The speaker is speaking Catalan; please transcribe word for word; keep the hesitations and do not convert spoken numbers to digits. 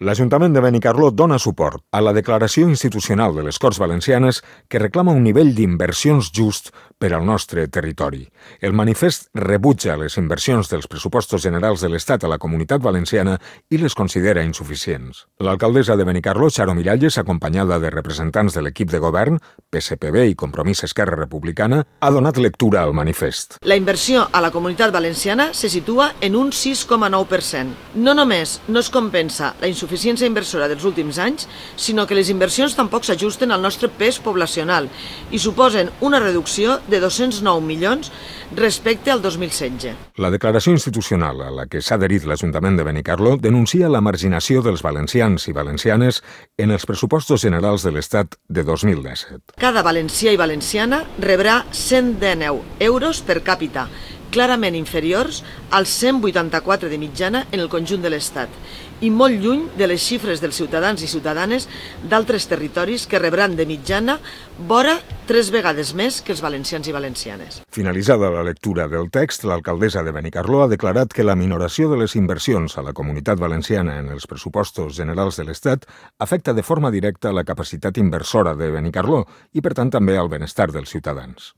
L'Ajuntament de Benicarló dona suport a la declaració institucional de les Corts Valencianes que reclama un nivell d'inversions just per al nostre territori. El manifest rebutja les inversions dels pressupostos generals de l'Estat a la Comunitat Valenciana i les considera insuficients. L'alcaldessa de Benicarló, Charo Miralles, acompanyada de representants de l'equip de govern, P S P B i Compromís Esquerra Republicana, ha donat lectura al manifest. La inversió a la Comunitat Valenciana se situa en un sis coma nou per cent. No només no es compensa la insuficiència insuficiència inversora dels últims anys, sinó que les inversions tampoc s'ajusten al nostre pes poblacional i suposen una reducció de dos-cents nou milions respecte al dos mil setze. La declaració institucional a la que s'ha adherit l'Ajuntament de Benicarló denuncia la marginació dels valencians i valencianes en els pressupostos generals de l'Estat de dos mil disset. Cada valencià i valenciana rebrà cent dinou euros per càpita, clarament inferiors als cent vuitanta-quatre de mitjana en el conjunt de l'Estat i molt lluny de les xifres dels ciutadans i ciutadanes d'altres territoris que rebran de mitjana vora tres vegades més que els valencians i valencianes. Finalitzada la lectura del text, l'alcaldessa de Benicarló ha declarat que la minoració de les inversions a la Comunitat Valenciana en els pressupostos generals de l'Estat afecta de forma directa la capacitat inversora de Benicarló i, per tant, també al benestar dels ciutadans.